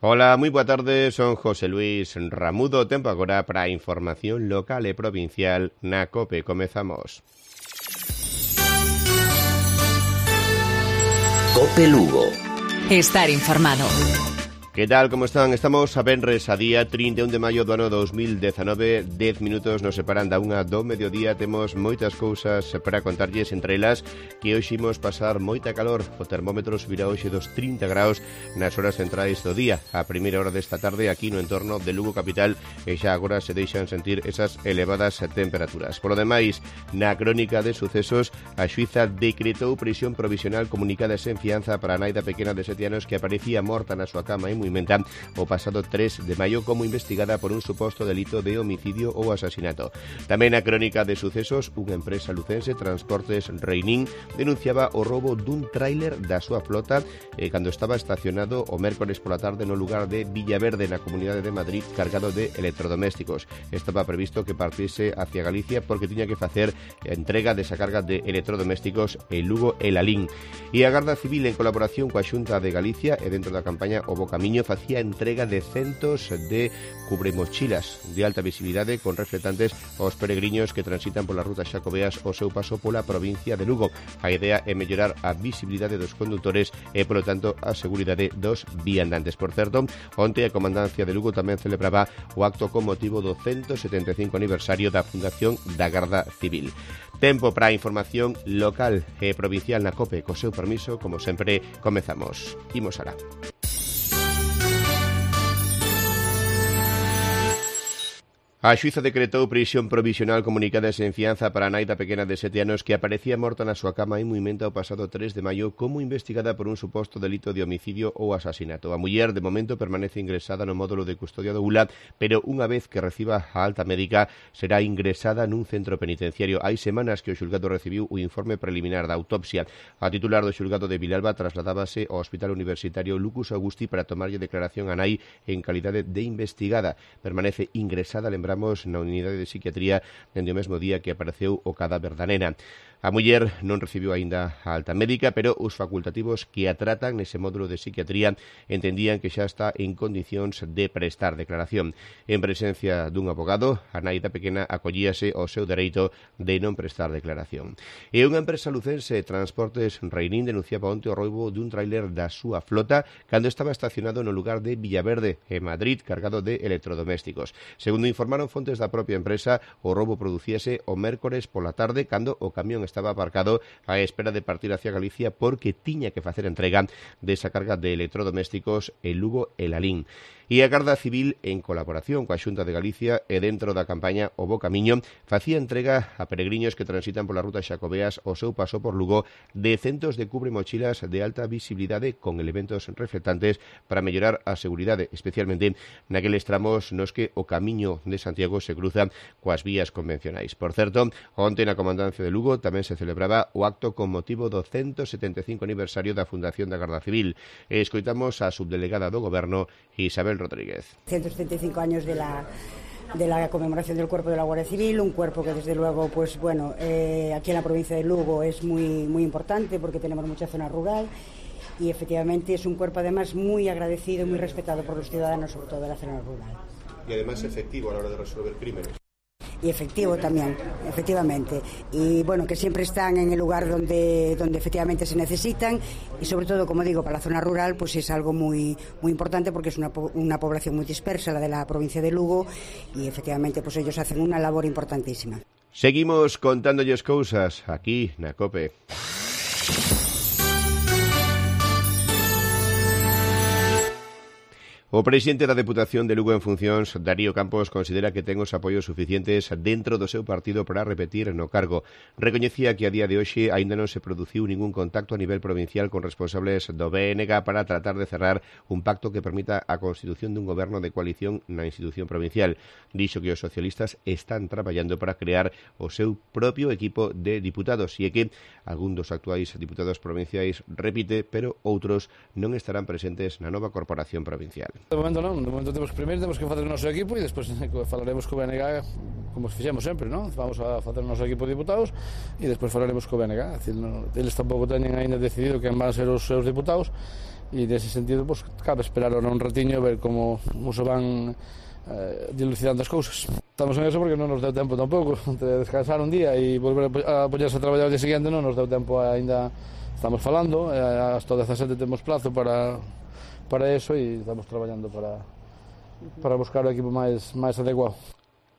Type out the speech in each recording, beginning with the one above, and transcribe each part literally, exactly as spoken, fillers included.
Ola, moi boa tarde, son José Luis Ramudo. Tempo agora para a información local e provincial na COPE. Comezamos. COPE Lugo. Estar informado. Que tal, como están? Estamos a venres a día trinta e un de maio do ano dos mil dezanove. Dez minutos nos separan da unha do mediodía. Temos moitas cousas para contarlles, entre elas que hoxe imos pasar moita calor. O termómetro subirá hoxe dos trinta graus nas horas centrais do día. A primeira hora desta tarde aquí no entorno de Lugo capital e xa agora se deixan sentir esas elevadas temperaturas. Por lo demais, na crónica de sucesos, a xuíza decretou prisión provisional comunicada sen fianza para a nai da pequena de sete anos que aparecía morta na súa cama en Muimenta o pasado tres de maio como investigada por un suposto delito de homicidio ou asasinato. Tamén a crónica de sucesos, unha empresa lucense, Transportes Reinín, denunciaba o roubo dun tráiler da súa flota eh, cando estaba estacionado o mércores pola tarde no lugar de Villaverde, na Comunidade de Madrid, cargado de electrodomésticos. Estaba previsto que partise hacia Galicia porque tiña que facer a entrega desa carga de electrodomésticos en Lugo e Lalín. E a Garda Civil, en colaboración coa Xunta de Galicia e dentro da campaña O Bo Camiño, facía entrega de centos de cubremochilas de alta visibilidade con reflectantes aos peregrinos que transitan pola ruta Xacobeas o seu paso pola provincia de Lugo. A idea é mellorar a visibilidade dos condutores e, polo tanto, a seguridade dos viandantes. Por certo, onte a Comandancia de Lugo tamén celebraba o acto con motivo do ciento setenta e cinco aniversario da fundación da Garda Civil. Tempo para a información local e provincial na COPE. Co seu permiso, como sempre, comezamos. Imos alá. A xuíza decretou prisión provisional comunicada sen fianza para a nai da pequena de sete anos que aparecía morta na súa cama en Muimenta o pasado tres de maio como investigada por un suposto delito de homicidio ou asasinato. A muller, de momento, permanece ingresada no módulo de custodia do U L A, pero unha vez que reciba a alta médica será ingresada nun centro penitenciario. Hai semanas que o xulgado recibiu o informe preliminar da autopsia. A titular do xulgado de Vilalba trasladábase ao Hospital Universitario Lucus Augusti para tomarlle declaración a nai en calidade de investigada. Permanece ingresada, lembramos, na unidade de psiquiatría dende o mesmo día que apareceu o cadáver da nena. A muller non recibiu aínda a alta médica, pero os facultativos que a tratan nese módulo de psiquiatría entendían que xa está en condicións de prestar declaración. En presencia dun abogado, a nai da pequena acollíase ao seu dereito de non prestar declaración. E unha empresa lucense, Transportes Reinín, denunciaba onte o roubo dun tráiler da súa flota cando estaba estacionado no lugar de Villaverde, en Madrid, cargado de electrodomésticos. Segundo informaron fontes da propia empresa, o roubo producíase o mércores pola tarde cando o camión estaba aparcado á espera de partir hacia Galicia porque tiña que facer entrega desa carga de electrodomésticos en Lugo e Lalín. E a Garda Civil, en colaboración coa Xunta de Galicia e dentro da campaña O Bo Camiño, facía entrega a peregrinos que transitan pola ruta Xacobeas o seu paso por Lugo de centos de cubremochilas de alta visibilidade con elementos reflectantes para mellorar a seguridade, especialmente naqueles tramos nos que o camiño de Santiago se cruza coas vías convencionais. Por certo, onte na Comandancia de Lugo tamén se celebraba o acto con motivo do ciento setenta e cinco aniversario da Fundación da Garda Civil. E escoitamos a subdelegada do Goberno, Isabel Rodríguez. ciento setenta y cinco años de la de la conmemoración del cuerpo de la Guardia Civil, un cuerpo que desde luego, pues bueno, eh, aquí en la provincia de Lugo es muy muy importante porque tenemos mucha zona rural y efectivamente es un cuerpo además muy agradecido y muy respetado por los ciudadanos, sobre todo de la zona rural. Y además efectivo a la hora de resolver crímenes. Y efectivo también, efectivamente. Y bueno, que siempre están en el lugar donde, donde efectivamente se necesitan y sobre todo, como digo, para la zona rural pues es algo muy, muy importante porque es una, una población muy dispersa, la de la provincia de Lugo, y efectivamente pues ellos hacen una labor importantísima. Seguimos contándolles cousas aquí na COPE. O presidente da Deputación de Lugo en funcións, Darío Campos, considera que ten os apoios suficientes dentro do seu partido para repetir no cargo. Recoñecía que a día de hoxe aínda non se produciu ningún contacto a nivel provincial con responsables do B N G para tratar de cerrar un pacto que permita a constitución dun goberno de coalición na institución provincial. Dixo que os socialistas están traballando para crear o seu propio equipo de diputados e que algún dos actuais diputados provinciais repite, pero outros non estarán presentes na nova corporación provincial. De momento non, de momento temos primeiro temos que facer o noso equipo e despois falaremos co B N G como fixemos sempre, non? Vamos a facer o noso equipo de diputados e despois falaremos co B N G. Decir, non, eles tampouco teñen ainda decidido quen van ser os seus diputados e nese sentido pues, cabe esperar ahora un ratiño ver como, como se van eh, dilucidando as cousas. Estamos en eso porque non nos deu tempo tampouco de descansar un día e volver a poñerse a traballar o día seguinte, non nos deu tempo aínda. Estamos falando, eh, hasta o dezasete temos plazo para, para eso e estamos traballando para, para buscar o equipo máis, máis adecuado.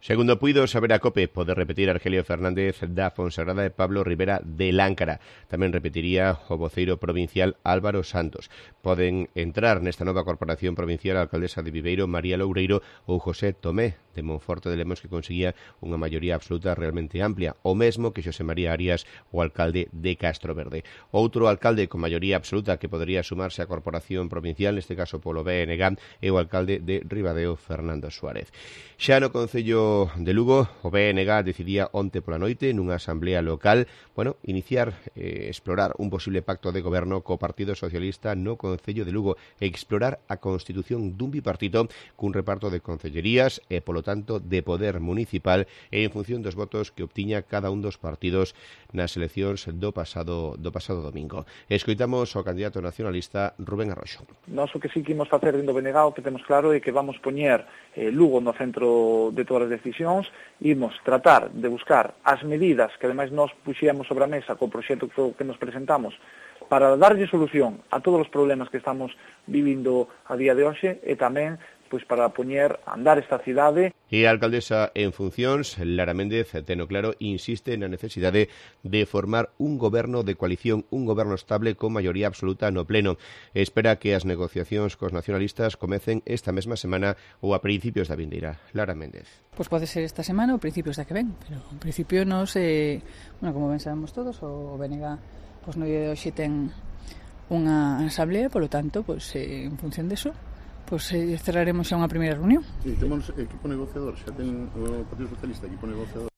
Segundo puido saber a COPE, pode repetir Argelio Fernández da Fonsagrada e Pablo Rivera de Láncara. Tamén repetiría o voceiro provincial Álvaro Santos. Poden entrar nesta nova corporación provincial a alcaldesa de Viveiro, María Loureiro, ou José Tomé, de Monforte de Lemos, que conseguía unha maioría absoluta realmente amplia, o mesmo que Xosé María Arias, o alcalde de Castroverde. Outro alcalde con maioría absoluta que podería sumarse á corporación provincial, neste caso polo B N G, é o alcalde de Ribadeo, Fernando Suárez. Xa no Concello de Lugo, o B N G decidía onte pola noite nunha asamblea local, bueno, iniciar, eh, explorar un posible pacto de goberno co Partido Socialista no Concello de Lugo e explorar a constitución dun bipartito cun reparto de concellerías e, polo tanto, de poder municipal e en función dos votos que obtiña cada un dos partidos nas eleccións do pasado do pasado domingo. Escoitamos ao candidato nacionalista Rubén Arroxo. Nós o que sí que imos facer dentro do B N G, o que temos claro é que vamos poñer eh, Lugo no centro de todas as decisións, imos tratar de buscar as medidas que ademais nós puxíamos sobre a mesa co proxecto que nos presentamos para darlle solución a todos os problemas que estamos vivindo a día de hoxe e tamén pois para poñer a andar esta cidade. E a alcaldesa en funcións, Lara Méndez, teno claro, insiste na necesidade de formar un goberno de coalición, un goberno estable con maioría absoluta no pleno. Espera que as negociacións cos nacionalistas comecen esta mesma semana ou a principios da vindeira. Lara Méndez. Pois pode ser esta semana ou principios da que ven, pero en principio nos, eh, bueno, como ben sabemos todos, o B N G pois no día de hoxe ten unha asamblea, polo tanto, pois eh, en función deso, pois eh, cerraremos xa unha primeira reunión. Sí, temos equipo negociador, xa ten o Partido Socialista equipo negociador.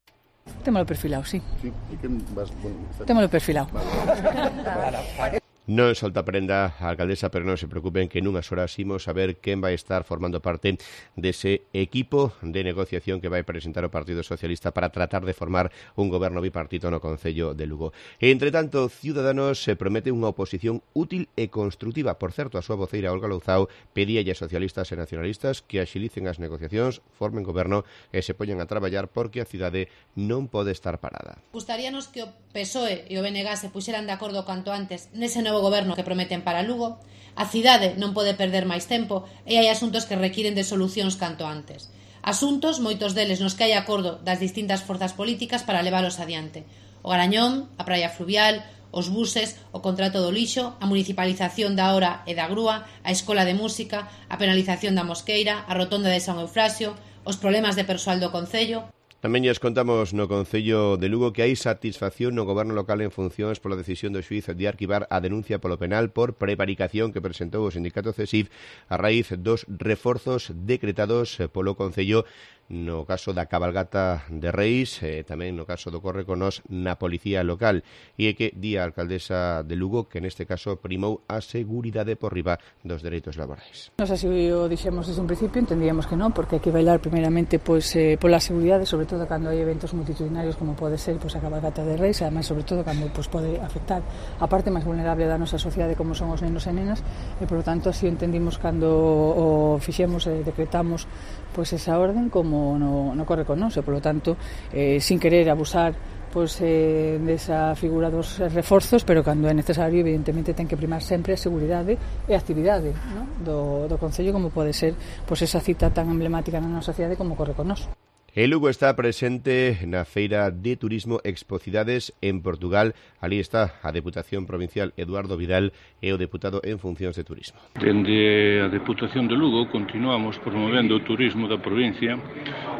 Témolo perfilado, sí. Sí, e que vas, bueno, Témolo perfilado. Vale. Non solta prenda a alcaldesa, pero non se preocupen que nunhas horas imos a ver quen vai estar formando parte dese equipo de negociación que vai presentar o Partido Socialista para tratar de formar un goberno bipartito no Concello de Lugo. E, entre tanto, Ciudadanos se promete unha oposición útil e construtiva. Por certo, a súa voceira Olga Louzao pedía a socialistas e nacionalistas que axilicen as negociacións, formen goberno e se poñan a traballar porque a cidade non pode estar parada. Gustaríanos que o P S O E e o B N G se puxeran de acordo canto antes nese novo goberno que prometen para Lugo. A cidade non pode perder máis tempo e hai asuntos que requiren de solucións canto antes. Asuntos, moitos deles nos que hai acordo das distintas forzas políticas para leválos adiante. O Garañón, a praia fluvial, os buses, o contrato do lixo, a municipalización da hora e da grúa, a escola de música, a penalización da Mosqueira, a rotonda de San Eufrasio, os problemas de persoal do Concello. Tamén lles contamos no Concello de Lugo que hai satisfacción no goberno local en funcións pola decisión do xuíz de arquivar a denuncia polo penal por prevaricación que presentou o sindicato C E S I F a raíz dos reforzos decretados polo Concello no caso da cabalgata de Reis, e tamén no caso do corre con nos na policía local. E é que di a alcaldesa de Lugo que neste caso primou a seguridade por riba dos dereitos laborais. Nos así o dixemos desde un principio, entendíamos que non, porque hai que bailar primeiramente pois, eh, pola seguridade, sobre todo cando hai eventos multitudinarios como pode ser pois, a cabalgata de Reis, además sobre todo cando pois, pode afectar a parte máis vulnerable da nosa sociedade como son os nenos e nenas, e por lo tanto así entendimos cando o fixemos e decretamos pois, esa orden como no, no corre con nos, e por lo tanto eh, sin querer abusar pois, eh, desa figura dos reforzos, pero cando é necesario evidentemente ten que primar sempre a seguridade e a actividade, ¿no? do, do Concello, como pode ser pois, esa cita tan emblemática na nosa sociedade como corre con nos. E Lugo está presente na Feira de Turismo Expocidades en Portugal. Ali está a Deputación Provincial Eduardo Vidal e o deputado en funcións de turismo. Dende a Deputación de Lugo continuamos promovendo o turismo da provincia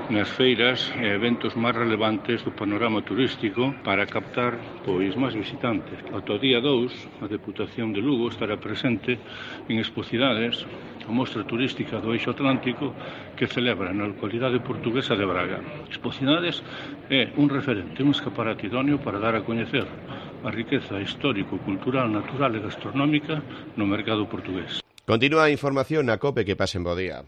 nas feiras e eventos máis relevantes do panorama turístico para captar pois máis visitantes. Ata o día dous, a Deputación de Lugo estará presente en Expocidades, a mostra turística do Eixo Atlántico que celebra na localidade portuguesa de Braga. Expocidades é un referente, un escaparate idóneo para dar a coñecer a riqueza histórico, cultural, natural e gastronómica no mercado portugués. Continúa a información na COPE, que pasen bo día.